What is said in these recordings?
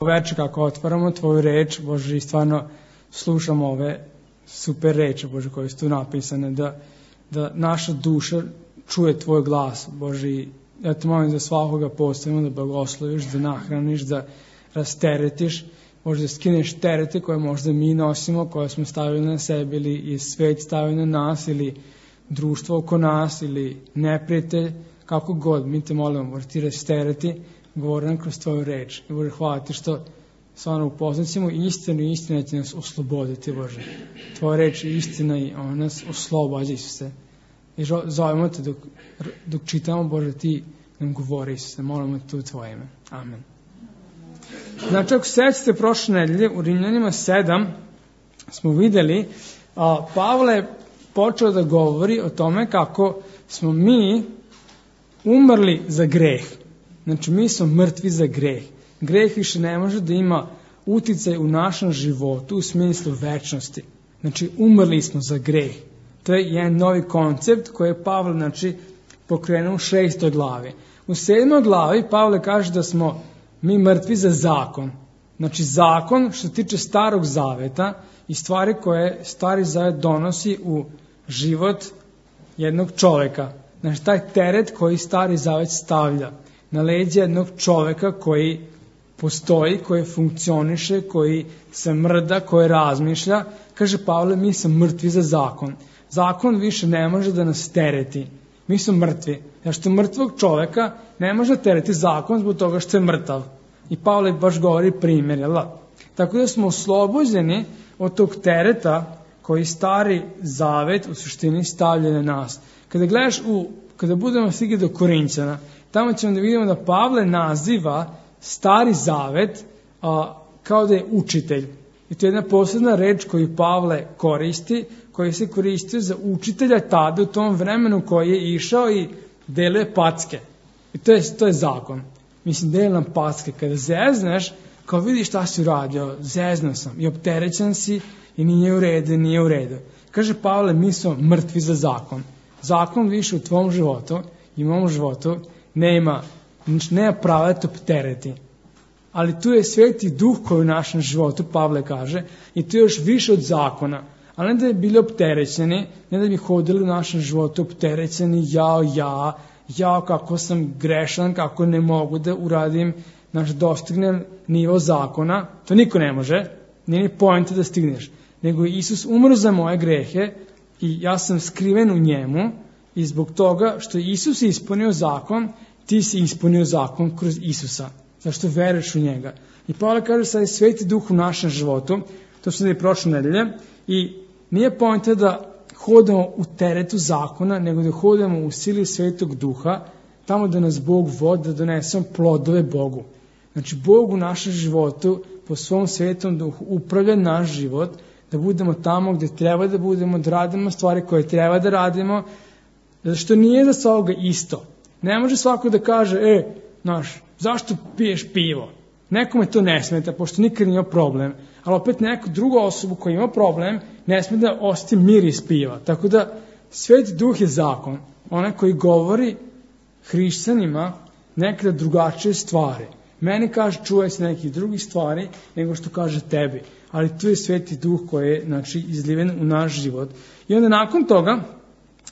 Veče kako otvaramo Tvoju reč, Bože, i stvarno slušamo ove super reči, Bože, koje su tu napisane, da naša duša čuje Tvoj glas, Bože, i ja te molim za svakoga postavimo, da blagosloviš, da nahraniš, da rasteretiš, Bože, da skineš terete koje možda mi nosimo, koje smo stavili na sebe, ili je svet stavio na nas, ili društvo oko nas, ili neprijatelj, kako god, mi te molimo, Bože, ti rastereti, govori nam kroz Tvoju reč. I Bože, hvala ti što stvarno upoznacimo istinu i istina će nas osloboditi, Bože. Tvoja reč je istina i ona nas oslobađa, Isuse. I zovemo te dok čitamo, Bože, ti nam govori, Isuse. Molimo te u Tvoje ime. Amen. Znači, ako sećate prošle nedelje, u Rimljanima 7 smo videli, Pavle je počeo da govori o tome kako smo mi umrli za greh. Znači, mi smo mrtvi za greh. Greh više ne može da ima uticaj u našem životu u smislu večnosti. Znači, umrli smo za greh. To je jedan novi koncept koji je Pavle, znači, pokrenuo u 6. glavi. U 7. glavi Pavle kaže da smo mi mrtvi za zakon. Znači, zakon što se tiče Starog zaveta i stvari koje Stari zavet donosi u život jednog čoveka. Znači, taj teret koji Stari zavet stavlja na leđa jednog čoveka koji postoji, koji funkcioniše, koji se mrda, koji razmišlja. Kaže Pavle, mi smo mrtvi za zakon. Zakon više ne može da nas tereti. Mi smo mrtvi. Jer što mrtvog čoveka ne može tereti zakon zbog toga što je mrtav. I Pavle baš govori primjer, jel da? Tako da smo oslobođeni od tog tereta koji Stari zavet u suštini stavlja na nas. Kada gledaš kada budemo stigli do Korinćana, tamo ćemo da vidimo da Pavle naziva Stari zavet kao da je učitelj. I to je jedna posebna reč koju Pavle koristi, koji se koristio za učitelja tada u tom vremenu koji je išao i deluje packe. I to je zakon. Mislim, deluje nam packe. Kada zezneš, kao vidiš šta si uradio, zeznao sam i opterećen si i nije u redu. Kaže Pavle, mi smo mrtvi za zakon. Zakon više u tvom životu i u mom životu nema prava da te optereti. Ali tu je Sveti Duh koji u našem životu, Pavle kaže, i tu je još više od zakona. Ali ne da bi bili opterećeni, ne da bi hodili u našem životu opterećeni, ja kako sam grešan, kako ne mogu da uradim, dostignem nivo zakona. To niko ne može, nije ni poenta da stigneš. Nego je Isus umro za moje grehe i ja sam skriven u njemu i zbog toga što Isus je ispunio zakon, ti si ispunio zakon kroz Isusa. Zašto veruješ u njega. I Pavle kaže sad je Sveti Duh u našem životu, to smo i prošle nedelje, i nije poenta da hodamo u teretu zakona, nego da hodamo u sili Svetog Duha, tamo da nas Bog vodi, da donesemo plodove Bogu. Znači, Bog u našem životu, po svom Svetom Duhu, upravlja naš život, da budemo tamo gde treba da budemo, da radimo stvari koje treba da radimo, zato što nije za svakoga isto. Ne može svako da kaže, zašto piješ pivo? Nekome to ne smeta, pošto nikad nije problem, ali opet neku drugu osobu koja ima problem, ne sme da osjeti miris piva. Tako da, Sveti Duh je zakon, onaj koji govori hrišćanima nekada drugačije stvari. Meni kaže, čuvaj se nekih drugih stvari, nego što kaže tebi. Ali tu je Sveti Duh koji je, izliven u naš život. I onda nakon toga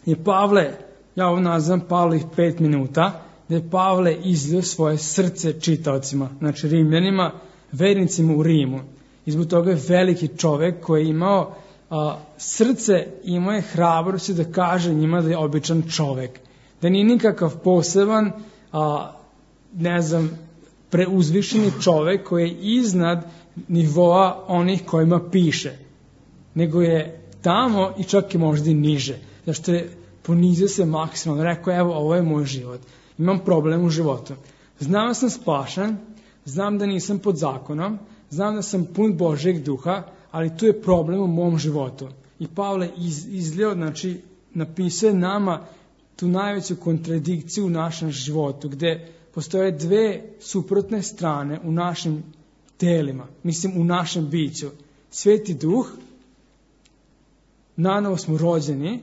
je Pavle, ja ovo nazivam Pavlih 5 minuta, da je Pavle izlio svoje srce čitaocima, znači Rimljanima, vernicima u Rimu. I zbog toga je veliki čovek koji je imao srce, imao je hrabrosti da kaže njima da je običan čovek. Da nije nikakav poseban, preuzvišeni čovek koji je iznad nivoa onih kojima piše. Nego je tamo i čak i možda i niže. Zašto je ponizio se maksimalno. Rekao, evo, ovo je moj život. Imam problem u životu. Znam da sam spašan, znam da nisam pod zakonom, znam da sam pun Božjeg Duha, ali tu je problem u mom životu. I Pavle izlio, napisao nama tu najveću kontradikciju u našem životu, gde postoje dve suprotne strane u našim telima, u našem biću. Sveti Duh, nanovo smo rođeni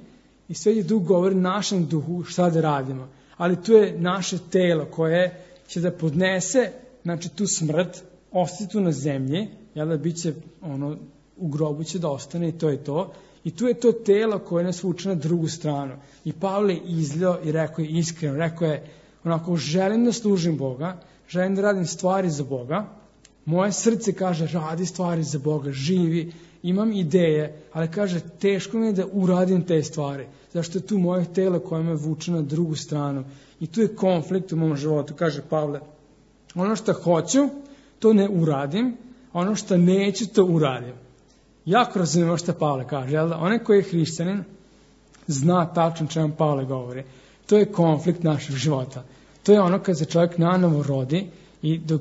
i Sveti Duh govori našem duhu šta da radimo. Ali tu je naše telo koje će da podnese tu smrt ostati tu na zemlji, bit će, u grobu će da ostane i to je to. I tu je to telo koje nas vuče na drugu stranu. I Pavle je izljao i rekao je iskreno, rekao je onako, želim da služim Boga, želim da radim stvari za Boga, moje srce kaže radi stvari za Boga, živi, imam ideje, ali kaže teško mi je da uradim te stvari, zašto je tu moje telo koje me vuče na drugu stranu. I tu je konflikt u mom životu, kaže Pavle. Ono što hoću, to ne uradim, a ono što neću, to uradim. Jako razumemo što Pavle kaže, jel da? Onaj koji je hrišćanin zna tačno čemu Pavle govori. To je konflikt našeg života. To je ono kad se čovjek nanovo rodi i dok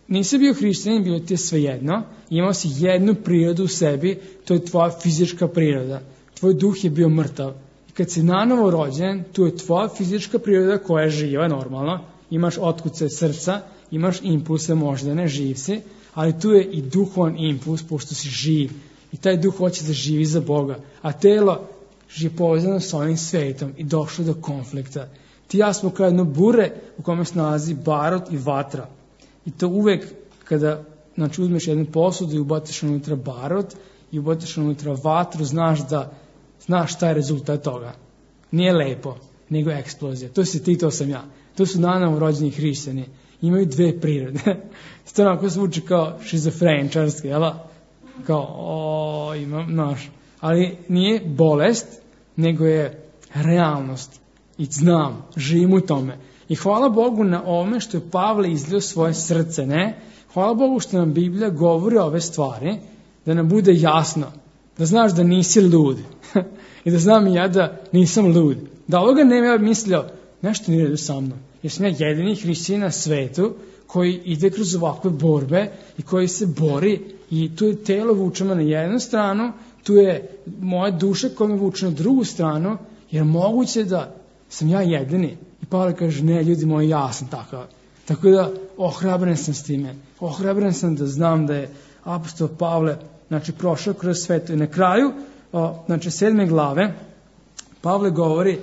nisi bio hrišćanin, bilo ti je svejedno, imao si jednu prirodu u sebi, to je tvoja fizička priroda. Tvoj duh je bio mrtav. I kad si nanovo rođen, tu je tvoja fizička priroda koja je živa, normalno, imaš otkuce srca, imaš impulse moždane, živ si, ali tu je i duhovan impuls, pošto si živ. I taj duh hoće da živi za Boga. A telo je povezano s ovim svetom i došlo do konflikta. Ti i ja smo kao jedno bure u kome se nalazi barut i vatra. I to uvek kada uzmeš jednu posudu i ubaciš unutra barut i ubaciš unutra vatru, znaš šta je rezultat toga. Nije lepo, nego eksplozija. To si ti, to sam ja. To su nanovo rođeni hrišćani. Imaju dve prirode. To onako zvuči kao šizofreničarski, jel? Kao, imam, ali nije bolest, nego je realnost. I znam, živim u tome. I hvala Bogu na ovome što je Pavle izlio svoje srce, ne? Hvala Bogu što nam Biblija govori ove stvari, da nam bude jasno, da znaš da nisi lud. I da znam i ja da nisam lud. Da ovoga ne ja mislio, nešto nije redu sa mnom. Jer sam ja jedini hrišćanin na svetu koji ide kroz ovakve borbe i koji se bori i tu je telo vuče me na jednu stranu, tu je moja duša koja me vuče na drugu stranu, jer moguće da sam ja jedini. I Pavle kaže, ne ljudi moji, ja sam takav. Tako da ohrabren sam s time. Ohrabren sam da znam da je apostol Pavle prošao kroz sveto. I na kraju 7. glave Pavle govori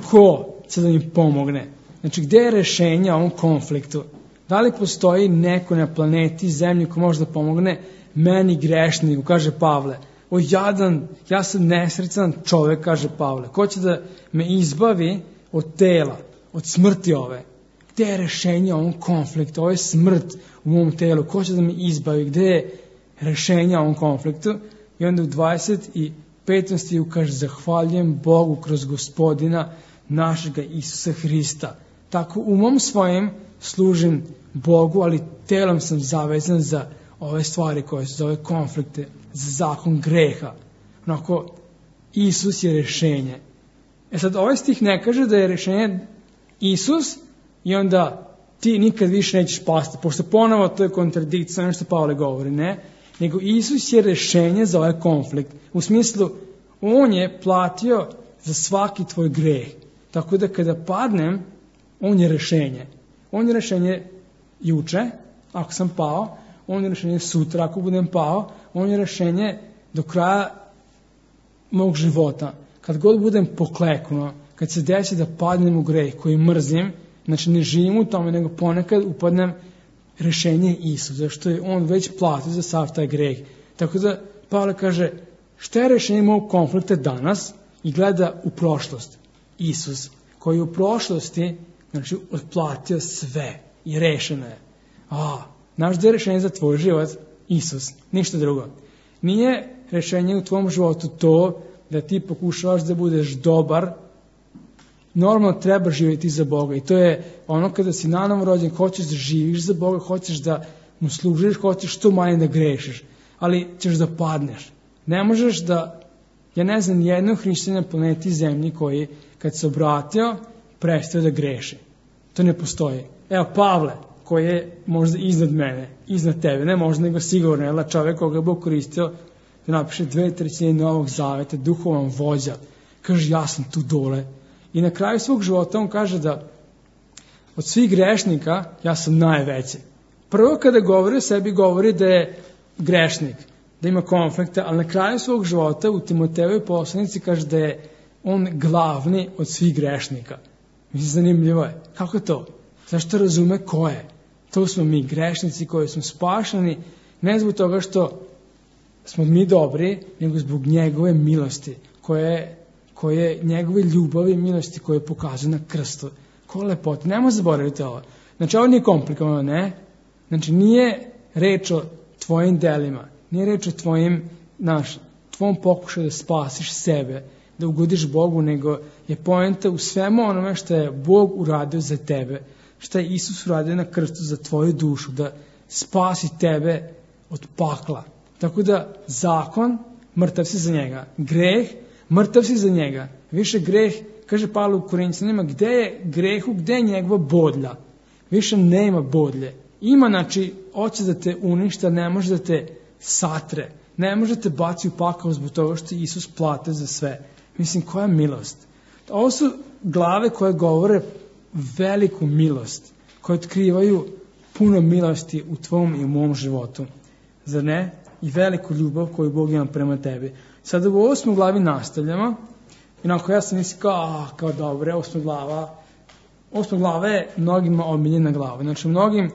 ko će da im pomogne. Gde je rešenje ovom konfliktu? Da li postoji neko na planeti Zemlji ko može da pomogne meni grešniku, kaže Pavle. O jadan, ja sam nesrećan čovek, kaže Pavle. Ko će da me izbavi od tela, od smrti ove? Gde je rešenje ovom konfliktu? Ovo je smrt u mom telu. Ko će da me izbavi? Gde je rešenje ovom konfliktu? I onda u 25. stihu kaže, zahvaljujem Bogu kroz Gospodina našega Isusa Hrista. Tako umom svojim služim Bogu, ali telom sam zavezan za ove stvari koje se zove konflikte, za zakon greha. Onako, Isus je rešenje. Sad, ovaj stih ne kaže da je rešenje Isus i onda ti nikad više nećeš pasti, pošto ponovo to je kontradikcija, ono što Pavle govori, ne? Nego Isus je rešenje za ovaj konflikt. U smislu, on je platio za svaki tvoj greh. Tako da kada padnem, on je rešenje. On je rešenje juče, ako sam pao, on je rešenje sutra, ako budem pao, on je rešenje do kraja mog života. Kad god budem pokleknuo, kad se desi da padnem u greh koji mrzim, znači ne živim u tome, nego ponekad upadnem, rešenje je Isus, zašto je on već platio za sav taj greh. Tako da Pavle kaže, šta je rešenje mog konflikta danas i gleda u prošlost. Isus, koji je u prošlosti, znači, otplatio sve i rešeno je. Znaš da je rešenje za tvoj život? Isus, ništa drugo. Nije rešenje u tvom životu to da ti pokušavaš da budeš dobar. Normalno treba živjeti za Boga i to je ono kada si nanovo rođen, hoćeš da živiš za Boga, hoćeš da mu služiš, hoćeš što manje da grešiš, ali ćeš da padneš. Ne možeš da, ja ne znam, jednog hrišćanina na planeti Zemlji koji kad se obratio, prestao da greši. To ne postoji. Evo Pavle, koji je možda iznad mene, iznad tebe, ne možda nego sigurno, je čovjek koga je Bog koristio da napiše 2/3 Novog Zaveta, duhovan vođa. Kaže, ja sam tu dole. I na kraju svog života on kaže da od svih grešnika ja sam najveći. Prvo kada govori o sebi, govori da je grešnik, da ima konflikta, ali na kraju svog života u Timotejevoj poslanici kaže da je on glavni od svih grešnika. Mislim, zanimljivo je. Kako to? Zašto razume ko je? To smo mi, grešnici koji smo spašeni, ne zbog toga što smo mi dobri, nego zbog njegove milosti, koje njegove ljubavi i milosti koje je pokazano na krstu. Koja lepota. Nemo zaboraviti ovo. Znači, ovo nije komplikovano, ne? Znači, nije reč o tvojim delima, nije reč o tvom pokušaju da spasiš sebe, da ugodiš Bogu, nego je poenta u svemu onome što je Bog uradio za tebe, što je Isus uradio na krstu za tvoju dušu, da spasi tebe od pakla. Tako da zakon, mrtav si za njega. Greh, mrtav si za njega. Više greh, kaže Pavle u Korinćanima, gde je grehu, gde je njegova bodlja? Više nema bodlje. Ima, znači, hoće da te uništa, ne može da te satre. Ne može da te baci u pakao zbog toga što je Isus platio za sve. Mislim, koja milost. Ovo su glave koje govore veliku milost, koje otkrivaju puno milosti u tvom i u mom životu. Zar ne? I veliku ljubav koju Bog ima prema tebi. Sada u 8. glavi nastavljamo. Inako ja sam mislim kao dobre, 8. glava je mnogima omiljena glava. Znači, mnogim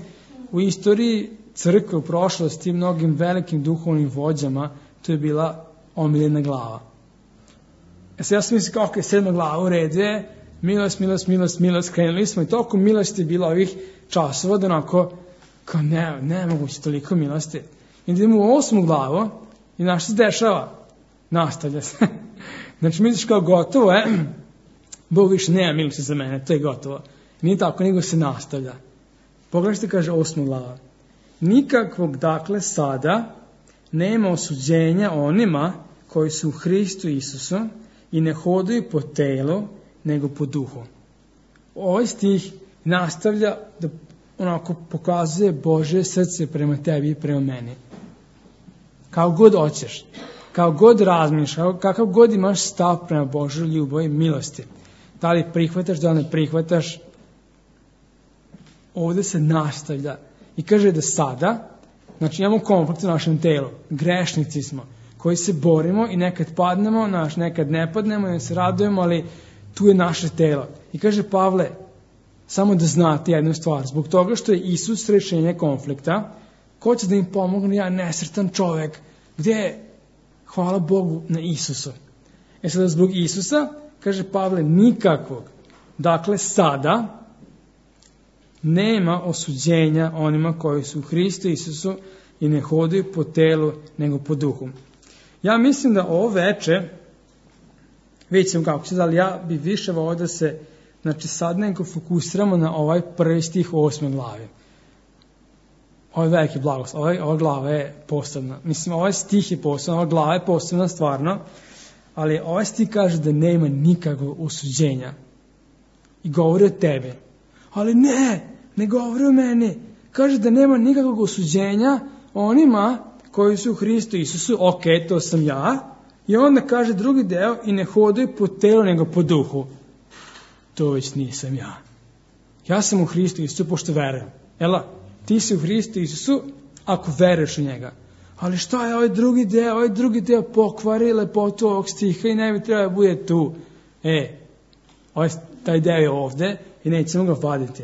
u istoriji crkve, u prošlosti, mnogim velikim duhovnim vođama, to je bila omiljena glava. Ja sam mislim kao 7. glava u redu je, milost, krenuli smo i toliko milosti je bilo ovih časova, da onako, kao ne moguće toliko milosti. I idemo u 8. glavu i što se dešava? Nastavlja se. Znači, misliš kao gotovo je, Bog više nema milosti za mene, to je gotovo. Nije tako, nego se nastavlja. Pogledaj što kaže 8. glava. Nikakvog, dakle, sada nema osuđenja onima koji su u Hristu Isusu i ne hodaju po telu, nego po duhu. Ovaj stih nastavlja da onako pokazuje Božje srce prema tebi i prema meni. Kao god hoćeš, kao god razmišljaš, kakav god imaš stav prema Božoj ljubavi i milosti. Da li prihvataš, da li ne prihvataš, ovdje se nastavlja. I kaže da sada, znači imamo konflikt u našem telu, grešnici smo, koji se borimo i nekad padnemo, nekad ne padnemo i se radujemo, ali tu je naše telo. I kaže Pavle, samo da znate jednu stvar, zbog toga što je Isus rešenje konflikta, ko će da im pomogne, ja nesretan čovek, gdje je, hvala Bogu, na Isusu. Sada zbog Isusa, kaže Pavle, nikakvog, dakle sada, nema osuđenja onima koji su u Hristu Isusu i ne hodaju po telu, nego po duhu. Ja mislim da ovo veče, vidjet ćemo kako će, ali ja bi više volio da se, znači sad nego fokusiramo na ovaj prvi stih u 8. glavi. Ovo je veliki blagoslov, ova glava je posebna. Mislim, ovaj stih je posebna, ova glava je posebna stvarno, ali ovaj stih kaže da nema nikakvog osuđenja. I govori o tebi. Ali ne govori o meni. Kaže da nema nikakvog osuđenja onima koji su u Hristu Isusu, ok, to sam ja. I onda kaže drugi deo, i ne hodaju po telu nego po duhu. To već nisam ja. Ja sam u Hristu Isusu pošto verujem. Jela, ti si u Hristu Isusu ako veruješ u njega. Ali šta je ovaj drugi deo? Ovaj drugi deo pokvari lepotu ovog stiha i ne bi trebao bude tu. Taj deo je ovde i nećemo ga vaditi.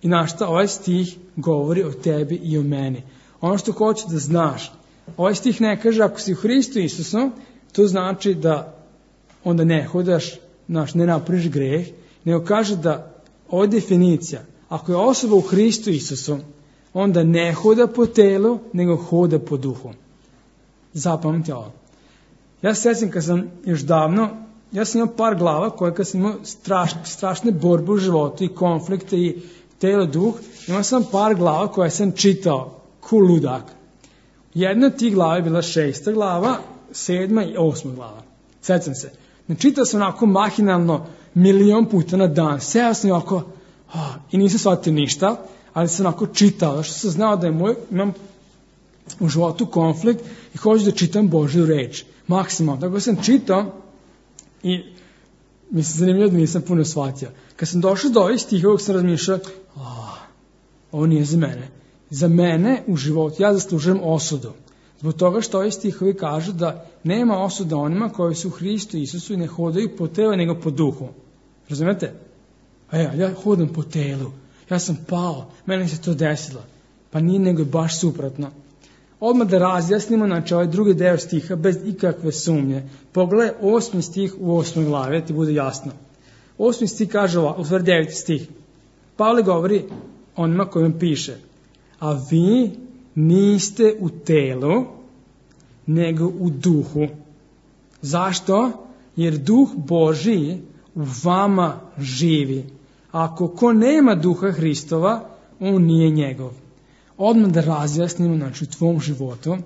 I ovaj stih govori o tebi i o meni. Ono što hoću da znaš, ovaj stih ne kaže ako si u Hristu Isusu, to znači da onda ne hodaš, ne napraviš greh, nego kaže da ova definicija, ako je osoba u Hristu Isusu, onda ne hoda po telu, nego hoda po duhu. Zapamti ovo. Ja se sjećam kad sam još davno, ja sam imao par glava koje kad sam imao strašne borbe u životu i konflikte i telo, duh, imao sam par glava koje sam čitao ko ludak. Jedna od tih glava je bila 6. glava, 7. i 8. glava. Sjećam se. Čitao sam onako mahinalno 1.000.000 puta na dan. Seo sam ovako i nisam shvatio ništa, ali sam onako čitao, što sam znao da imam u životu konflikt i hoću da čitam Božju reč. Maksimalno. Tako sam čitao i mislim zanimljivo da nisam puno shvatio. Kad sam došao do ovih stihova, sam razmišljao, ovo nije za mene. Za mene u životu ja zaslužujem osudu. Zbog toga što ovi stihovi kažu da nema osuda onima koji su u Hristu Isusu i ne hodaju po telu nego po duhu. Razumete? Ja hodam po telu. ja sam pao, meni se to desilo. Pa nije, nego je baš suprotno. Odmah da razjasnimo, znači ovaj drugi deo stiha bez ikakve sumnje. Pogledaj 8. stih u 8. glavi, ti bude jasno. 8. stih kaže ovako, u stvari 9. stih. Pavle govori onima kojim piše, a vi niste u telu, nego u duhu. Zašto? Jer duh Božiji u vama živi. Ako ko nema duha Hristova, on nije njegov. Odmah da razjasnimo, znači, u tvom životu,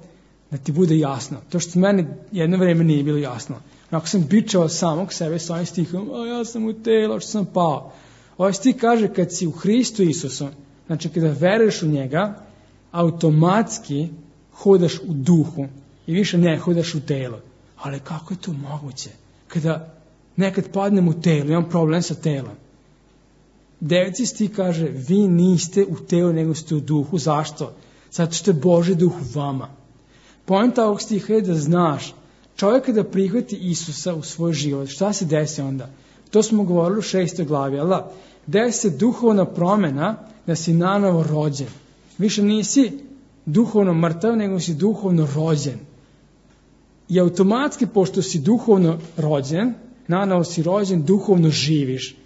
da ti bude jasno. To što meni jedno vreme nije bilo jasno. Ako sam bičao samog sebe s ovim stihom, ja sam u telu, što sam pao. Ovaj stih kaže, kad si u Hristu Isusu, znači kada veruješ u njega, automatski hodaš u duhu i više ne hodaš u telo. Ali kako je to moguće? Kada nekad padnem u telo, imam problem sa telom. 9. stih kaže, vi niste u telu, nego ste u duhu. Zašto? Zato što je Božji duh u vama. Poenta ovog stiha je da znaš, čovjek kada prihvati Isusa u svoj život, šta se desi onda? To smo govorili u 6. glavi, ali da, desi se duhovna promjena da si nanovo rođen. Više nisi duhovno mrtav, nego si duhovno rođen. I automatski, pošto si duhovno rođen, nanovo si rođen, duhovno živiš.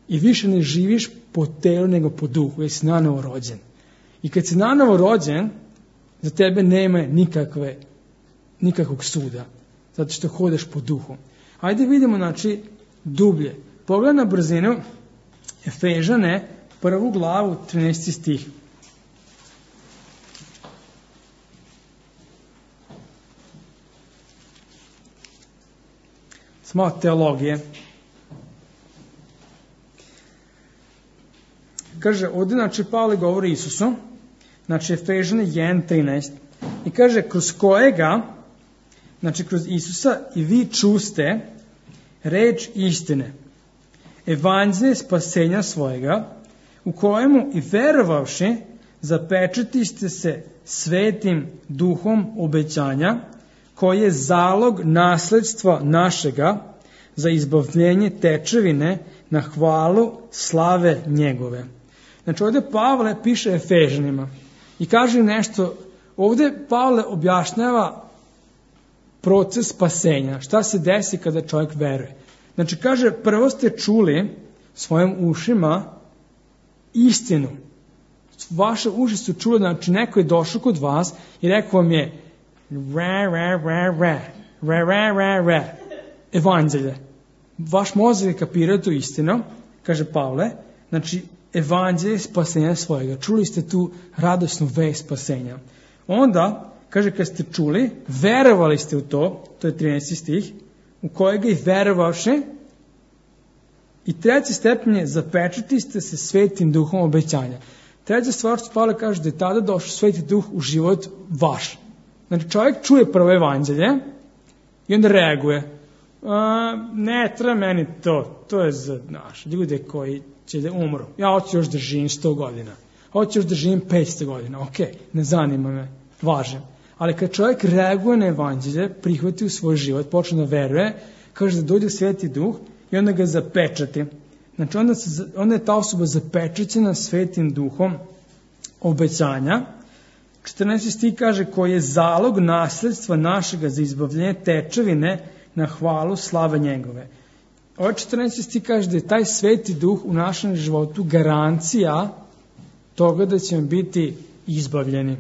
I više ne živiš po telu, nego po duhu, jer si nanovo rođen. I kad si nanovo rođen, za tebe nema nikakvog suda, zato što hodaš po duhu. Ajde vidimo, znači, dublje. Pogledaj na brzinu Efežane, 1. glavu, 13. stih. Samo teologije. Kaže, ovdje, znači, Pavle govori Isusu, znači, Efežane 1.13, i kaže, kroz kojega, znači, kroz Isusa i vi čuste reč istine, evanđelje spasenja svojega, u kojemu i verovavši, zapečatiste se svetim duhom obećanja, koji je zalog nasledstva našega za izbavljenje tečevine na hvalu slave njegove. Znači, ovdje Pavle piše Efežanima i kaže nešto, ovdje Pavle objašnjava proces spasenja, šta se desi kada čovjek veruje. Znači, kaže, prvo ste čuli svojim ušima istinu. Vaše uši su čuli, znači, neko je došao kod vas i rekao vam je evanđelje. Vaš mozak je kapirao tu istinu, kaže Pavle, znači, evanđelje spasenja svojega. Čuli ste tu radosnu vest spasenja. Onda, kaže, kad ste čuli, verovali ste u to, to je 13. stih, u kojega i verovavši, i treći stepen je, zapečati ste se svetim duhom obećanja. Treća stvar što Pavle kaže, da je tada došao sveti duh u život vaš. Znači, čovjek čuje prvo evanđelje i onda reaguje. Ne treba meni to je za ljude koji će da umru. Ja hoću još da živim 100 godina. Hoću još da živim 500 godina. Ok, ne zanima me, važem. Ali kad čovjek reaguje na evanđelje, prihvati u svoj život, počne da veruje, kaže da dođe sveti duh i onda ga zapečati. Znači, onda je ta osoba zapečaćena svetim duhom obećanja. 14. stih kaže, koji je zalog nasledstva našega za izbavljenje tečevine na hvalu slave njegove. Ovaj 14. stih kaže da je taj sveti duh u našem životu garancija toga da ćemo biti izbavljeni.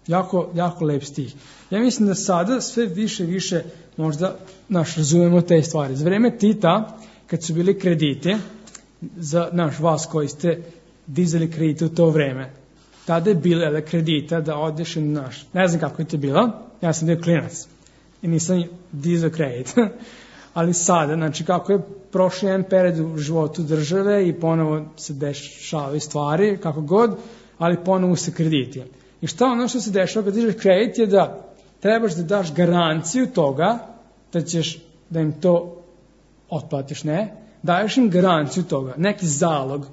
Jako, jako lep stih. Ja mislim da sada sve više i više možda razumemo te stvari. Za vreme Tita, kad su bili krediti, za vas koji ste dizali kredite u to vreme, tada je bilo kredita da odeš ne znam kako je to bilo, ja sam bio klinac i nisam dizao kredit. Ali sada, znači kako je prošli jedan period u životu države i ponovo se dešavaju stvari, kako god, ali ponovo se krediti. I šta ono što se dešava kad dižeš kredit je da trebaš da daš garanciju toga da ćeš da im to otplatiš, ne? Daješ im garanciju toga, neki zalog.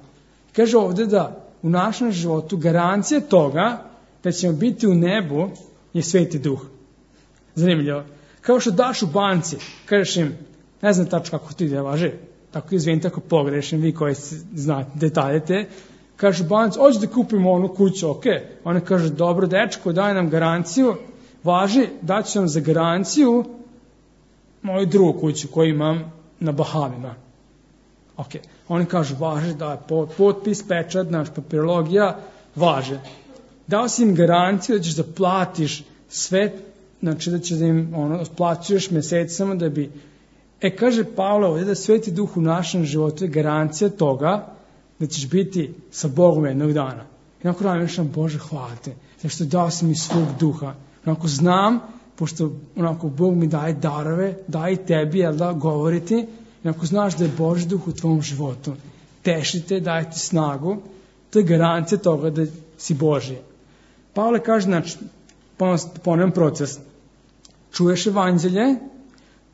Kaže ovdje da u našem životu garancija toga da ćemo biti u nebu je sveti duh. Zanimljivo. Kao što daš u banci, kažeš im, ne znam tačno kako to ide, važi, tako izvinite ako pogrešim, vi koji znate detaljete, Kaže Banac, hoće da kupimo onu kuću, ok. Ona kaže, dobro dečko, daj nam garanciju, važi, daću vam za garanciju moju drugu kuću koju imam na Bahamima. Ok, oni kažu, važi, da je potpis, pečat, naš papirologija, važe. Dao si im garanciju da ćeš da platiš sve, znači da ćeš da im plaćuješ mesecama da bi... kaže Pavle ovdje da Sveti Duh u našem životu je garancija toga da ćeš biti sa Bogom jednog dana. I onako razmišljam, Bože, hvala te, zašto dao si mi svog duha. Onako znam, pošto onako Bog mi daje darove, daje i tebi, jel da, govoriti, i onako znaš da je Božji duh u tvom životu. Tešite, daje ti snagu, to je garancija toga da si Božji. Pavle kaže, znači, ponovim proces, čuješ evanđelje,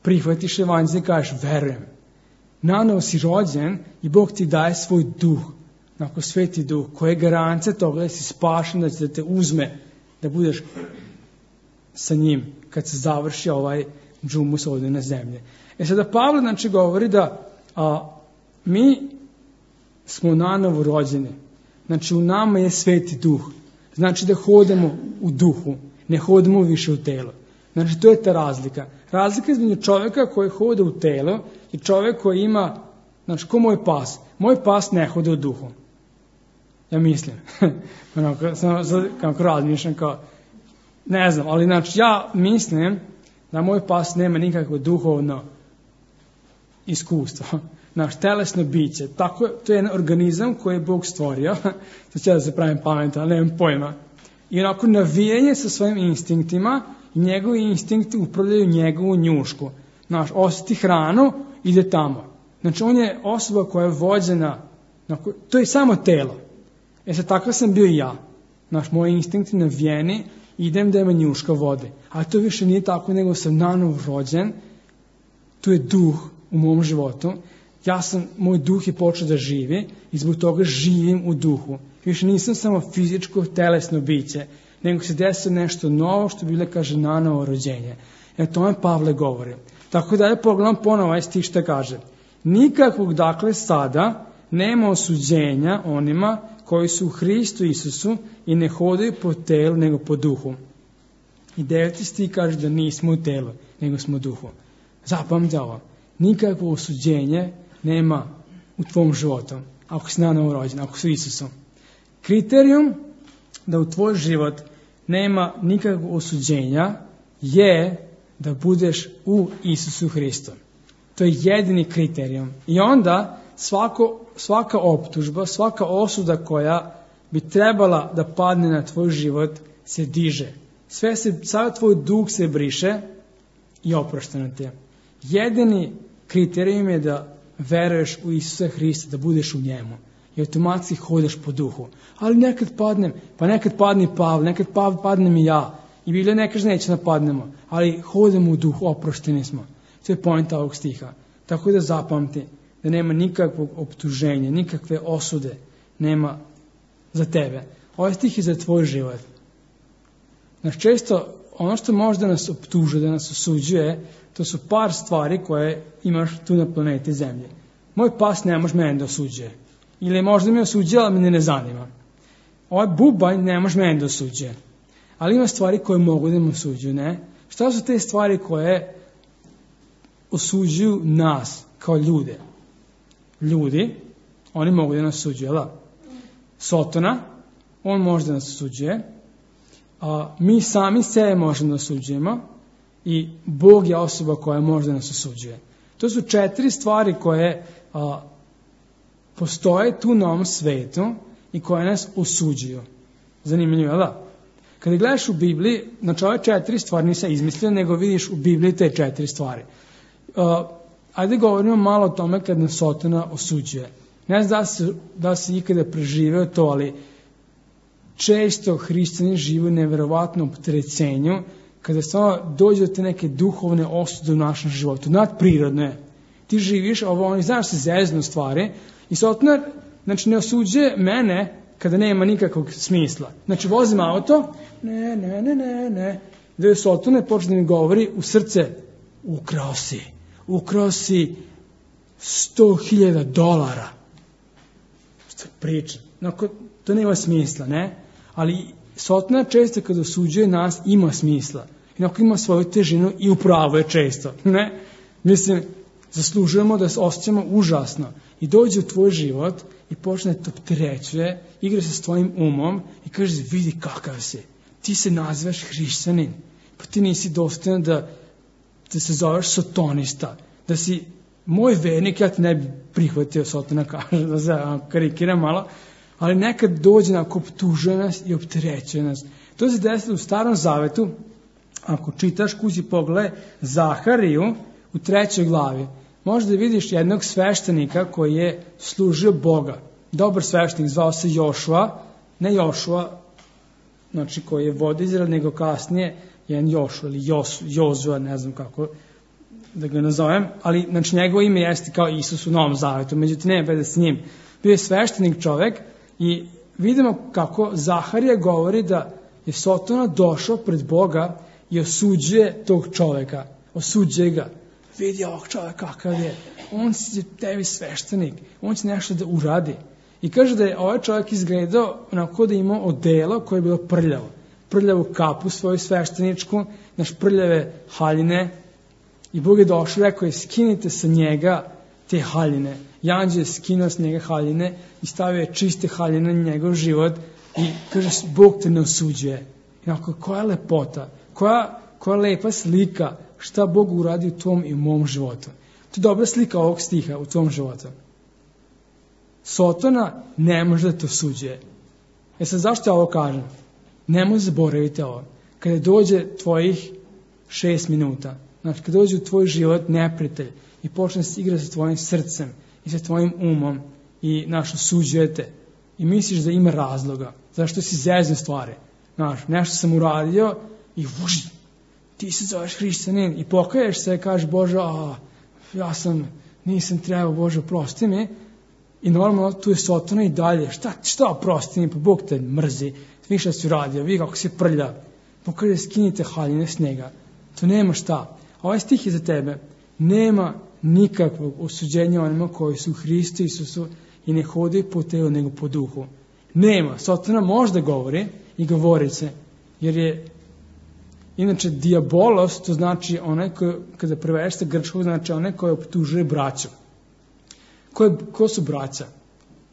prihvatiš evanđelje i kažeš, verujem. Nanovo si rođen i Bog ti daje svoj duh, onako Sveti duh, koji je garancija toga da si spašen, da će da te uzme, da budeš sa njim kad se završi ovaj džumus ovdje na zemlji. Sada Pavle znači govori da mi smo nanovo rođeni. Znači u nama je Sveti duh. Znači da hodamo u duhu, ne hodamo više u telo. Znači to je ta razlika. Razlika između čovjeka koji hoda u telo i čovjek koji ima, znači ko moj pas. Moj pas ne hoda u duhu. Ja mislim. Kako razmišljam kao, ne znam, ali znači ja mislim da moj pas nema nikakvo duhovno iskustvo. Naš telesno biće. Tako, to je jedan organizam koji je Bog stvorio. To će da se pravim pametan, ali nemam pojma. I onako navijanje sa svojim instinktima i njegovi instinkti upravljaju njegovu njušku. Znaš, osjeti hranu, ide tamo. Znači, on je osoba koja je vođena, to je samo telo. Sad, takav sam bio i ja. Znaš, moji instinkti navijeni, idem da ima njuška vode. A to više nije tako, nego sam nanovo rođen. Tu je duh u mom životu. Moj duh je počeo da živi i zbog toga živim u duhu. Više nisam samo fizičko, telesno biće, nego se desilo nešto novo, što Biblija kaže nanovo rođenje. O tome Pavle govori. Tako da je pogledam ponovo ovaj stih što kaže. Nikakvog dakle sada nema osuđenja onima koji su u Hristu Isusu i ne hodaju po telu nego po duhu. I 9. stih kaže da nismo u telu, nego smo u duhu. Zapamte ovo. Nikakvo osuđenje nema u tvom životu, ako si nanovo rođen, ako si Isusom. Kriterijum da u tvoj život nema nikakvog osuđenja je da budeš u Isusu Hristu. To je jedini kriterijum. I onda svaka optužba, svaka osuda koja bi trebala da padne na tvoj život se diže. Sada tvoj duh se briše i oprošteno ti je. Jedini kriterijum je da veruješ u Isusa Hrista, da budeš u njemu. I automatski hodaš po duhu. Ali nekad padnem, pa nekad padne Pavle, nekad padnem i ja. I Biblija ne kaže neće napadnemo, ali hodamo u duhu, oprošteni smo. To je poenta ovog stiha. Tako da zapamti da nema nikakvog optuženja, nikakve osude nema za tebe. Ovaj stih je za tvoj život. Znači često ono što može da nas optuže, da nas osuđuje, to su par stvari koje imaš tu na planeti Zemlje. Moj pas ne može mene da osuđuje. Ili možda me osuđuje, ali me ne zanima. Ovaj bubanj ne može mene da osuđuje. Ali ima stvari koje mogu da me osuđuju, ne? Šta su te stvari koje osuđuju nas kao ljude? Ljudi, oni mogu da nas osuđuju, jel' da? Sotona, on može da nas osuđuje. Mi sami sebe možemo da osuđujemo. I Bog je osoba koja može da nas osuđuje. To su 4 stvari koje postoje tu na ovom svetu i koje nas osuđuju. Zanimljivo, jel' da? Kada gledaš u Bibliji, znači ove 4 stvari nisam izmislio, nego vidiš u Bibliji te 4 stvari. Ajde govorimo malo o tome kad nas Sotona osuđuje. Ne znam da si ikada preživeo to, ali često hrišćani žive u neverovatnom opterećenju kada samo dođe do te neke duhovne osude u našem životu. Nadprirodno je. Ti živiš, znaš se zeznu stvari i Sotona, znači ne osuđuje mene kada nema nikakvog smisla. Znači vozim auto, ne. Da je Sotona počne da mi govori u srce, ukrao si $100,000. Što priča? To nema smisla, ne? Ali Sotona često kada osuđuje nas ima smisla. Ima svoju težinu i upravo je često, ne? Mislim, zaslužujemo da se osjećamo užasno i dođe u tvoj život i počne te opterećuje, igra se s tvojim umom i kaže, vidi kakav si. Ti se nazivaš hrišćanin, pa ti nisi dostojan da se zoveš sotonista, da si moj vernik, ja ti ne bi prihvatio, Sotona kaže, da se karikiram malo, ali nekad dođe nam, optužuje nas i opterećuje nas. To se desilo u Starom Zavetu, ako čitaš, kući pogledaj Zahariju u 3. glavi, možda vidiš jednog sveštenika koji je služio Boga. Dobar sveštenik, zvao se Jošua, ne Jošua, znači koji je vodio Izrael, nego kasnije jedan Jošua ili Jozua, ne znam kako da ga nazovem, ali znači njegovo ime jeste kao Isus u Novom Zavetu, međutim nema veze s njim. Bio je sveštenik čovek i vidimo kako Zaharija govori da je Sotona došao pred Boga i osuđuje tog čoveka, osuđuje ga. Vidi ovog čoveka kakav je, on je tebi sveštenik, on će nešto da uradi. I kaže da je ovaj čovjek izgledao onako da je imao odelo koje je bilo prljavo. Prljavu kapu svoju svešteničku, prljave haljine. I Bog je došao i rekao je, skinite sa njega te haljine. I anđeo je skinuo s njega haljine i stavio je čiste haljine na njegov život i kaže, Bog te ne osuđuje. I onako, koja lepota, koja lepa slika šta Bog uradi u tvom i u mom životu. To je dobra slika ovog stiha u tvom životu. Sotona ne može da te osuđuje. Sad zašto ja ovo kažem? Nemoj zaboraviti ovo. Kada dođe tvojih 6 minuta, znači kada dođe u tvoj život neprijatelj i počne se igrati sa tvojim srcem i sa tvojim umom i osuđujete i misliš da ima razloga, zašto si zezne stvari. Nešto sam uradio i ti se zoveš hrišćanin i pokaješ se i kažeš, Bože, nisam trebao, Bože, oprosti mi. I normalno tu je Sotona i dalje. Šta oprosti mi, pa Bog te mrzi. Vi šta si uradio, vi kako si prlja. Pokaže, skinite haljine s njega. To nema šta. Ovaj stih je za tebe. Nema nikakvog osuđenja onima koji su u Hristu Isusu i ne hodaju po telu nego po duhu. Nema. Sotona možda govori i govorit se, jer je inače diabolos, to znači onaj koji, kada prevedeš sa grčkog, znači onaj koji optužuje braću. Ko su braća?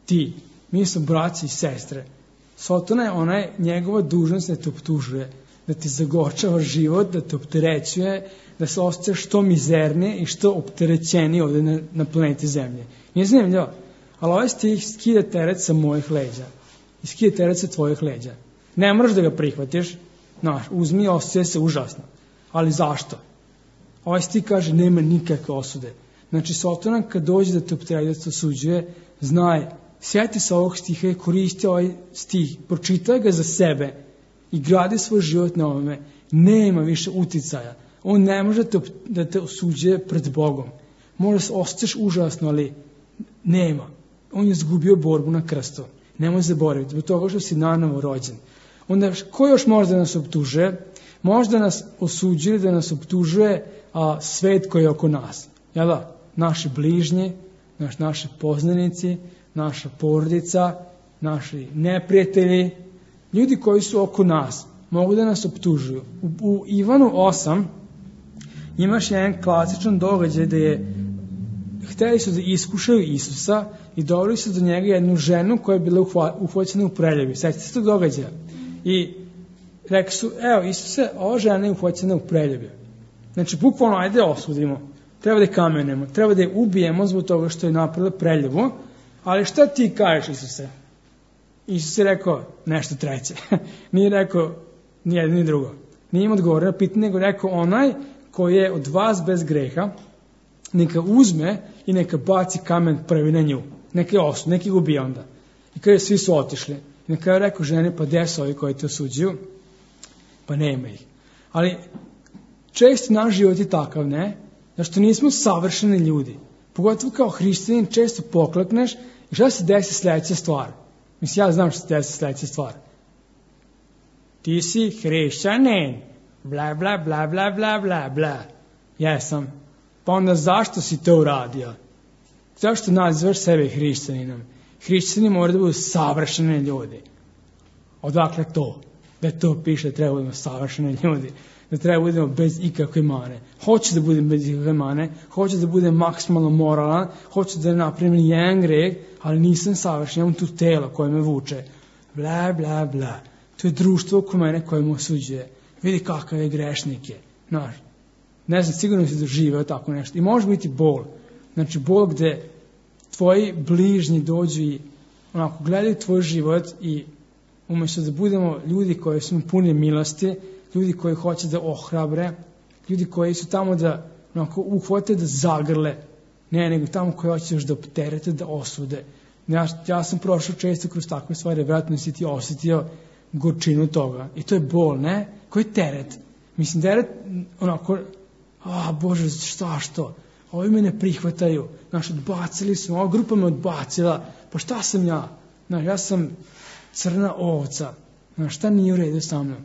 Ti. Mi smo braći i sestre. Sotona je njegova dužnost da te optužuje, da ti zagorčava život, da te opterećuje, da se osjećaš što mizernije i što opterećenije ovdje na planeti Zemlje. Nije zanimljivo, ali ovaj stih skida teret sa mojih leđa i skida teret sa tvojih leđa. Ne moraš da ga prihvatiš, uzmi i osjećaj se užasno. Ali zašto? Ovaj stih kaže nema nikakve osude. Znači, Sotona kad dođe da te opterećuje, da te osuđuje, znaj, sjeti se ovog stiha i koristi ovaj stih, pročitaj ga za sebe i gradi svoj život na ovome. Nema više uticaja. On ne može da te osuđuje pred Bogom. Možda se osjećaš užasno, ali nema. On je izgubio borbu na krstu. Nemoj zaboraviti, zbog toga što si nanovo rođen. Onda, ko još možda nas optužuje? Možda nas osuđuje, da nas optužuje svet koji je oko nas. Jel da? Naši bližnji, naši poznanici, naša porodica, naši neprijatelji, ljudi koji su oko nas, mogu da nas optužuju. U Ivanu 8 imaš jedan klasičan događaj da hteli su da iskušaju Isusa i doveli su do njega jednu ženu koja je bila uhvaćena u preljubi. Sjećate se tog događaja? I rekli su, evo Isuse, ova žena je uhvaćena u preljubi. Znači, bukvalno, ajde osudimo. Treba da je kamenemo, treba da je ubijemo zbog toga što je napravila preljubu, ali šta ti kažeš, Isuse? Isus je rekao nešto treće. Nije rekao ni jedno ni drugo. Nije im odgovorio na pitanje, nego rekao onaj koji je od vas bez greha, neka uzme i neka baci kamen prvi na nju. Neka je osud, neka je ubije onda. I kada svi su otišli. I na kraju rekao žene, pa gde su ovi koji te osuđuju? Pa nema ih. Ali često naš život je takav, ne? Zašto nismo savršeni ljudi. Pogotovo kao hrišćanin često poklekneš i šta se desi sljedeća stvar? Mislim, ja znam što se desi sljedeća stvar. Ti si hrišćanin. Bla, bla, bla, bla, bla, bla, bla. Jesam. Pa onda zašto si to uradio? Zašto nazivaš sebe hrišćaninom? Hrišćani moraju da budu savršeni ljudi. Odakle to? Da to piše da treba budemo savršeni ljudi. Da treba budemo bez ikakve mane. Hoću da budem bez ikakve mane, hoću da budem maksimalno moralan, hoću da napravim jedan greh, ali nisam savršen, imam tu telo koje me vuče. Bla, bla, bla. To je društvo oko mene koje me osuđuje. Vidi kakav je grešnik je. Znaš, ne znam, sigurno si doživeo tako nešto. I može biti bol. Znači, bol gde tvoji bližnji dođu i onako gledaju tvoj život i umjesto da budemo ljudi koji su puni milosti, ljudi koji hoće da ohrabre, ljudi koji su tamo da onako uhvate da zagrle, ne, nego tamo koji hoće još da opterete, da osude. Ja sam prošao često kroz takve stvari, vjerojatno si ti osjetio gorčinu toga. I to je bol, ne? Koji teret? Mislim, teret onako, Bože, što? Ovi me ne prihvataju. Odbacili su, ova grupa me odbacila. Pa šta sam ja? Ja sam crna ovca. Šta nije u redu sa mnom?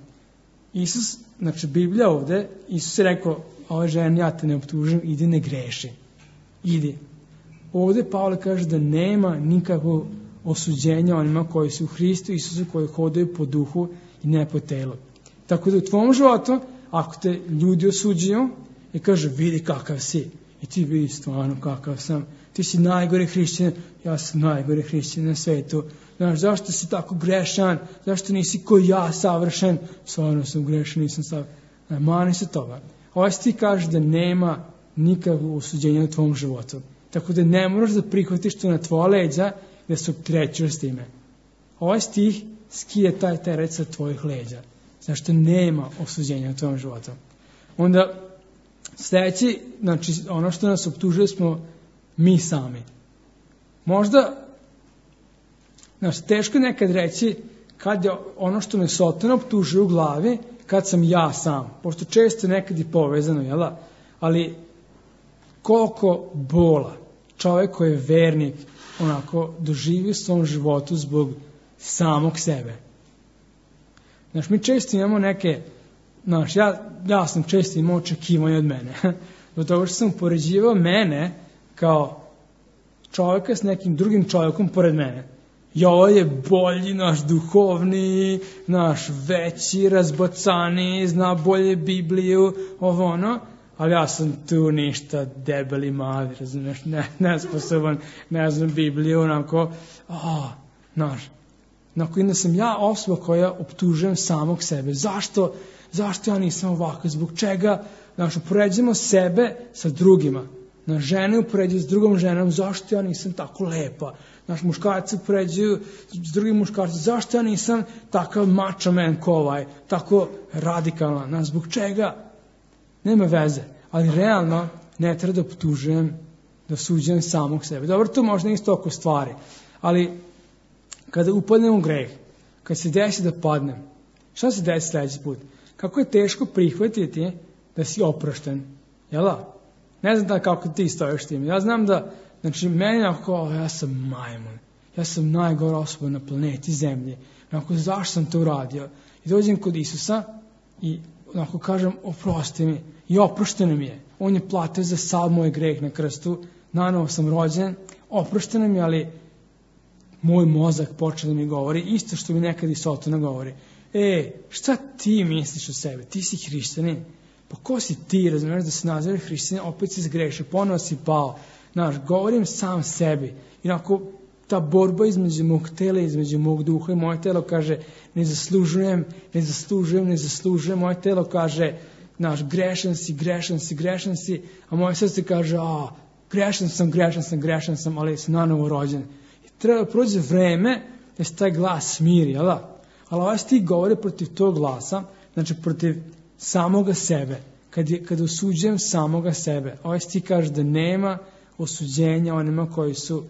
Isus, Biblija ovde, Isus je rekao, ove žene, ja te ne optužim, idi ne greši. Idi. Ovde Pavle kaže da nema nikakvog osuđenja onima koji su u Hristu Isusu, koji hodaju po duhu i ne po telu. Tako da u tvom životu, ako te ljudi osuđuju i kaže, vidi kakav si, i ti vidi stvarno kakav sam, ti si najgore hrišćan, ja sam najgore hrišćan na svetu. Znaš, zašto si tako grešan, zašto nisi ko ja savršen, stvarno sam grešan, nisam savršen. Mani se toga. Ovaj stih kaže da nema nikakvog osuđenja u tvom životu. Tako da ne moraš da prihvatiš to na tvoja leđa da se opterećuješ s time. Ovaj stih skije taj teret sa tvojih leđa. Zašto nema osuđenja u tvom životu. Onda sljedeći, ono što nas optužuje smo mi sami. Možda, teško nekad reći kad je ono što me Sotona optužuje u glavi, kad sam ja sam. Pošto često nekad je povezano, jel da? Ali koliko bola čovjek koji je vernik onako doživi u svom životu zbog samog sebe. Mi često imamo neke, ja sam često imao očekivanja od mene. Do toga što sam upoređivao mene kao čovjeka s nekim drugim čovjekom pored mene. I ovo je bolji, duhovni, veći, razbacani, zna bolje Bibliju, ovo ono. Ali ja sam tu ništa debeli mali, razumiješ, nesposoban, ne znam Bibliju, onako, i da sam ja osoba koja optužujem samog sebe. Zašto ja nisam ovako, zbog čega, upoređujemo sebe sa drugima. Žene upoređuju s drugom ženom, zašto ja nisam tako lepa. Muškarci upoređuju s drugim muškarcima, zašto ja nisam takav macho man ko ovaj, tako radikalan, zbog čega? Nema veze, ali realno ne treba da optužujem, da osuđujem samog sebe. Dobro, to možda isto oko stvari, ali kada upadnem u greh, kad se desi da padnem, šta se desi sljedeći put? Kako je teško prihvatiti da si oprošten, jel da? Ne znam kako ti stojiš tim. Ja znam da, meni ja sam majmun, ja sam najgora osoba na planeti Zemlji, zašto sam to uradio? I dođem kod Isusa i kažem, oprosti mi. I oprošteno mi je. On je platio za sav moj greh na krstu. Nanovo sam rođen. Oprošteno mi je, ali moj mozak počeo da mi govori isto što mi nekad i Sotona govori. Šta ti misliš o sebi? Ti si hrišćanin. Pa ko si ti, razumiješ, da se nazove hrišćanin, opet si zgrešio, ponovo si pao. Govorim sam sebi. I ta borba između mog tela, između mog duha i moje telo kaže ne zaslužujem. Moje telo kaže grešan si, a moje srce kaže grešan sam, ali sam nanovo rođen. I treba da prođe vreme da se taj glas smiri, jel da? Ali ovaj stih govori protiv tog glasa, protiv samoga sebe, kad osuđujem samoga sebe. Ovaj stih kaže da nema osuđenja onima koji su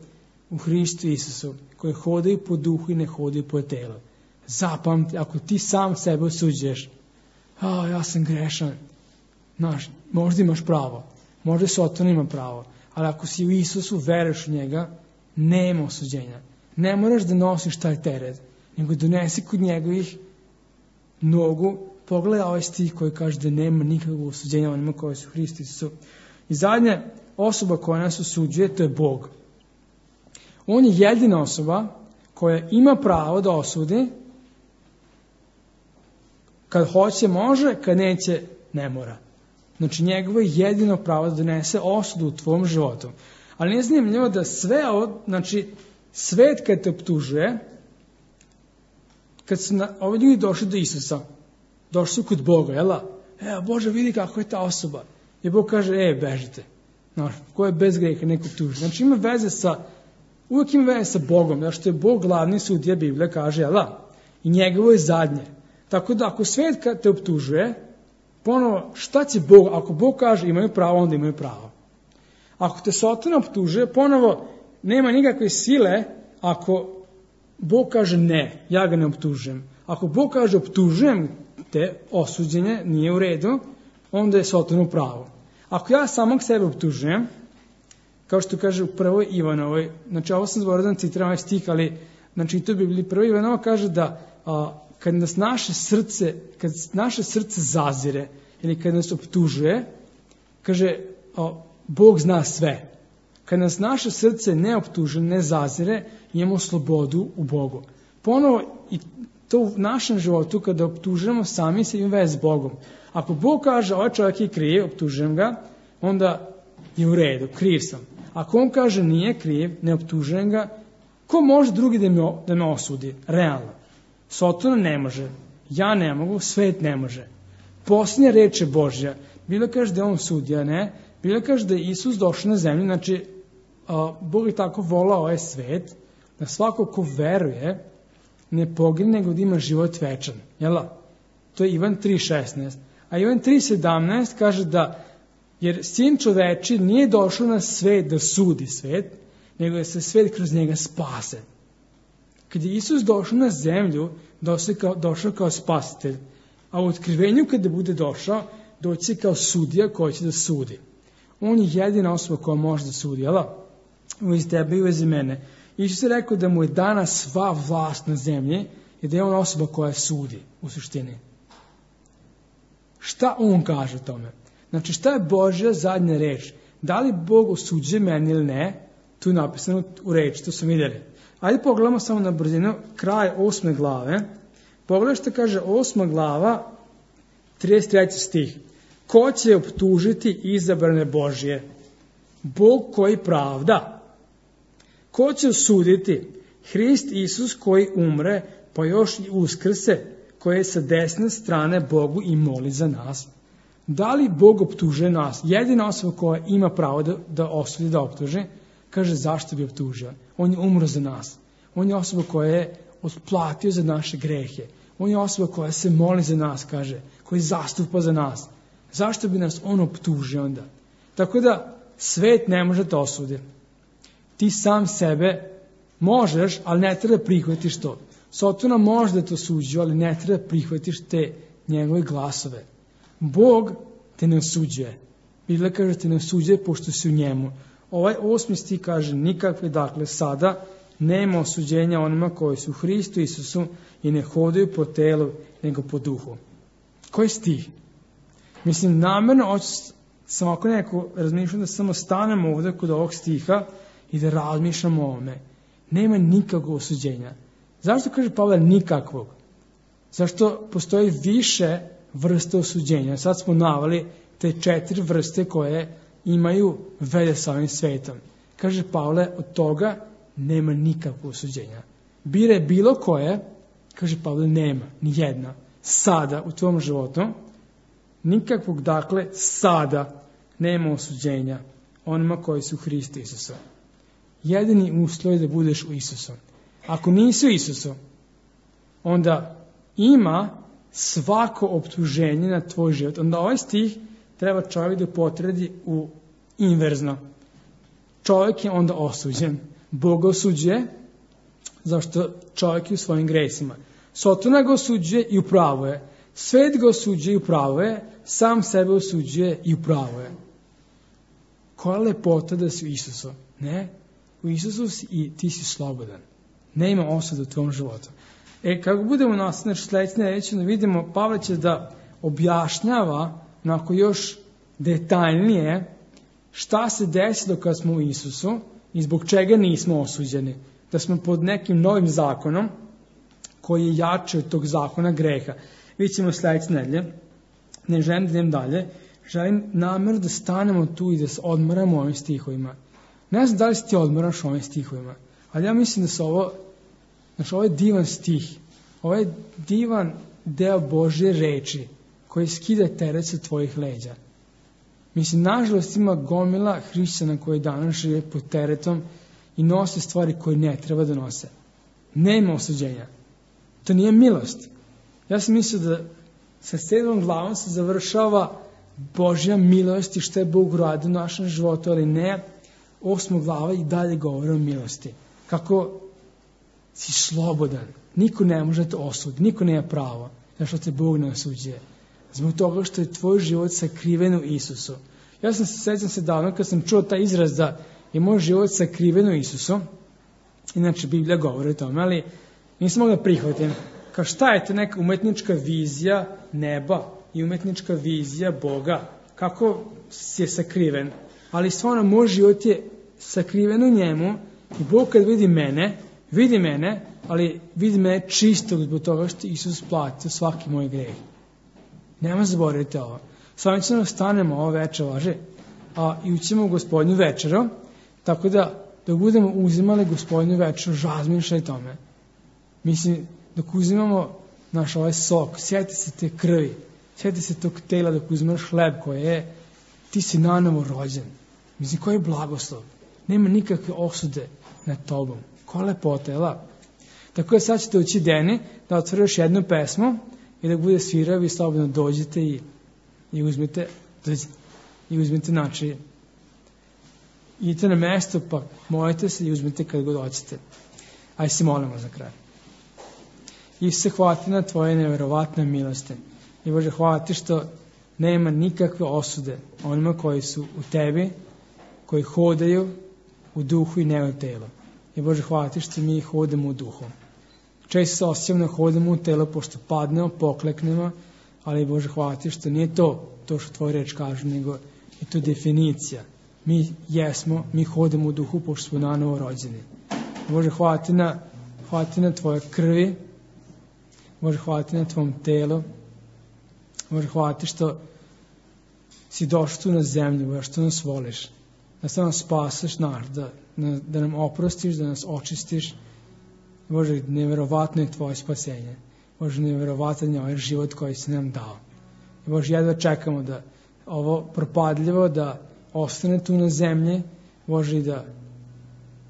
u Hristu Isusu, koji hodaju po duhu i ne hodaju po telu. Zapamti, ako ti sam sebe osuđuješ, ja sam grešan, možda imaš pravo, možda Soton ima pravo, ali ako si u Isusu, veruješ u njega, nema osuđenja. Ne moraš da nosiš taj teret, nego donesi kod njegovih nogu, pogledaj ovaj stih koji kaže da nema nikakvog osuđenja onima koji su u Hristu Isusu. I zadnja osoba koja nas osuđuje, to je Bog. On je jedina osoba koja ima pravo da osudi. Kad hoće može, kad neće ne mora. Znači njegovo je jedino pravo da donese osudu u tvom životu. Ali nije zanimljivo da sve ovo, znači svet kad te optužuje, kad su ovi ljudi došli do Isusa, došli su kod Boga, jel' Bože vidi kako je ta osoba. I Bog kaže, bežite. Ko je bez greha neko optuži. Znači uvijek ima veze sa Bogom, zato što je Bog glavni sudija, Biblija kaže, jel' i njegovo je zadnje. Tako da ako svet kad te optužuje, ponovo šta će Bog, ako Bog kaže imaju pravo, onda imaju pravo. Ako te Satan optužuje, ponovo nema nikakve sile ako Bog kaže ne, ja ga ne optužujem. Ako Bog kaže optužujem te, osuđenje nije u redu, onda je Satan u pravu. Ako ja samog sebe optužujem, kao što kaže u 1. Ivanovoj, znači ovo sam zborio da citiram ovaj stih, ali znači to bi bili 1. Ivanova kaže da kad naše srce zazire ili kad nas optužuje, kaže Bog zna sve. Kad nas naše srce ne optuže, ne zazire, imamo slobodu u Bogu. Ponovo i to u našem životu kada optužujemo sami se ima veze s Bogom. Ako Bog kaže ovaj čovjek je kriv, optužujem ga, onda je u redu, kriv sam. Ako on kaže nije kriv, ne optužujem ga, ko može drugi da me osudi? Realno. Sotona ne može, ja ne mogu, svet ne može. Posljednja reč je Božja. Bilo kaže da je on sudija, ne? Bilo kaže da je Isus došao na zemlju, znači Bog je tako volao ovaj svet, da svako ko veruje ne pogine, nego da ima život večan. Jel? To je Ivan 3.16. A Ivan 3.17 kaže da, jer sin čoveči nije došao na svet da sudi svet, nego da se svet kroz njega spase. Kad je Isus došao na zemlju, došao kao spasitelj, a u otkrivenju kada bude došao, doći kao sudija koji će da sudi. On je jedina osoba koja može da sudi, jel? Uz tebe i uz mene. Isus je rekao da mu je dana sva vlast na zemlji i da je on osoba koja sudi u suštini. Šta on kaže o tome? Znači šta je Božja zadnja reč? Da li Bog osuđuje meni ili ne? Tu je napisano u reči, to smo vidjeli. Ajde pogledamo samo na brzinu kraj 8. glave. Pogledaj što kaže 8. glava, 33. stih. Ko će optužiti izabrane Božje? Bog koji pravda. Ko će osuditi? Hrist Isus koji umre, pa još i uskrse, koji je sa desne strane Bogu i moli za nas. Da li Bog optužuje nas? Jedina osoba koja ima pravo da osudi, da optuži, kaže zašto bi optužio? On je umro za nas. On je osoba koja je otplatio za naše grehe. On je osoba koja se moli za nas, kaže, koji zastupa za nas. Zašto bi nas on optužio onda? Tako da svet ne može da osudi. Ti sam sebe možeš, ali ne treba prihvatiš to. Sotona može da te osuđuje, ali ne treba prihvatiš te njegove glasove. Bog te ne osuđuje. Biblia kaže te ne osuđuje pošto si u njemu. Ovaj 8. stih kaže nikakve, dakle sada nema osuđenja onima koji su u Hristu Isusu i ne hodaju po telu, nego po duhu. Koji stih? Mislim, namjerno sam ako neko razmišljam da samo stanemo ovdje kod ovog stiha i da razmišljamo o ovome. Nema nikakvog osuđenja. Zašto kaže Pavle nikakvog? Zašto postoji više vrste osuđenja? Sad smo naveli te 4 vrste koje imaju veze sa ovim svetom. Kaže Pavle, od toga nema nikakvog osuđenja. Bire bilo koje, kaže Pavle, nema, ni jedna. Sada u tvom životu, nikakvog, dakle, sada nema osuđenja onima koji su u Hristu Isusa. Jedini uslov je da budeš u Isusu. Ako nisi u Isusu, onda ima svako optuženje na tvoj život. Onda ovaj stih treba čovjek da potredi u inverzno. Čovjek je onda osuđen. Bog ga osuđuje, zašto čovjek je u svojim gresima. Sotona ga osuđuje i upravo je. Svet ga osuđuje i upravo je. Sam sebe osuđuje i upravo je. Koja lepota da si u Isusu? Ne? U Isusu si i ti si slobodan. Ne ima osude u tvom životu. Kako budemo nastaviti sljedeće reći, vidimo Pavle će da objašnjava onako još detaljnije šta se desilo kad smo u Isusu i zbog čega nismo osuđeni. Da smo pod nekim novim zakonom koji je jači od tog zakona greha. Vidjet ćemo sledeće nedelje. Ne želim da idem dalje. Želim namjerno da stanemo tu i da se odmaramo ovim stihovima. Ne znam da li se ti odmaraš ovim stihovima, ali ja mislim da su ovo je divan stih. Ovo je divan deo Božje reči koji skida teret sa tvojih leđa. Mislim, nažalost ima gomila hrišćana koji danas žive pod teretom i nose stvari koje ne treba da nose. Nema osuđenja. To nije milost. Ja sam mislio da sa 7. glavom se završava Božja milost i što je Bog uradio u našem životu, ali ne, 8. glava i dalje govori o milosti. Kako si slobodan. Niko ne može da te osudi, niko nema pravo, zašto te Bog ne osuđuje. Zbog toga što je tvoj život sakriven u Isusu. Ja sećam se davno kad sam čuo taj izraz da je moj život sakriven u Isusu. Inače, Biblija govori o tome, ali nisam mogla prihvatim. Kao šta je to neka umetnička vizija neba i umetnička vizija Boga? Kako je sakriven? Ali stvarno, moj život je sakriven u njemu i Bog kad vidi mene, ali vidi mene čistog zbog toga što Isus platio svaki moj greh. Nema zaboraviti ovo. S vami ćemo stanemo ovo večer, i ućemo u Gospodnju večeru, tako da dok budemo uzimali Gospodnju večeru, razmišljaj tome. Mislim, dok uzimamo naš ovaj sok, sjeti se te krvi, sjeti se tog tela dok uzimaš hleb koji je, ti si nanovo rođen. Mislim, koji je blagoslov. Nema nikakve osude nad tobom. Koja lepota, jel? Tako da sad ćete ući Deni da otvori još jednu pesmu i da bude svirao, vi slobodno dođete i uzmete način. Idite na mesto, pa molite se i uzmete kad god hoćete. Ajde se molimo za kraj. Isuse, hvala ti na tvoje neverovatne milosti. I Bože, hvala ti što nema nikakve osude onima koji su u tebi, koji hodaju u duhu i ne u telu. I Bože, hvala ti što mi hodamo u duhu. Često se osjećamo da hodamo u telo pošto padnemo, pokleknemo, ali Bože, hvala ti što nije to što tvoj reč kaže, nego je to definicija. Mi hodamo u duhu pošto smo nanovo rođeni. Bože, hvala ti na tvoje krvi. Bože, hvala ti na tvom telu. Bože, hvala ti što si došao tu na zemlju, Bože, što nas voliš. Da se nas spaseš da nam oprostiš, da nas očistiš. Bože, neverovatno je tvoje spasenje. Bože, neverovatan je ovaj život koji si nam dao. I Bože, jedva čekamo da ovo propadljivo, da ostane tu na zemlji, Bože, i da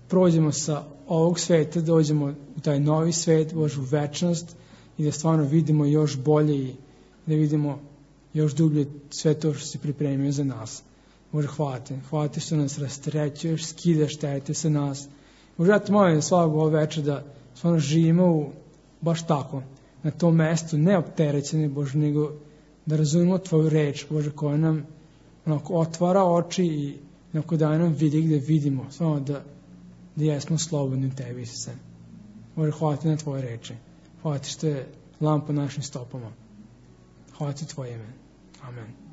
prođemo sa ovog sveta, dođemo u taj novi svet, Bože, u večnost i da stvarno vidimo još bolje i da vidimo još dublje sve to što si pripremio za nas. Bože, hvala ti što nas rasterećuješ, skidaš terete sa nas. Bože, ja te molim da svakog ovog večer da stvarno živimo baš tako, na tom mestu, ne opterećeni, Bože, nego da razumemo tvoju reč, Bože, koja nam otvara oči i daje nam vidi gde vidimo, stvarno da jesmo slobodni u tebi, Isuse. Bože, hvala ti na tvoje reči. Hvala ti što je lampa našim stopama. Hvala ti tvoje ime. Amen.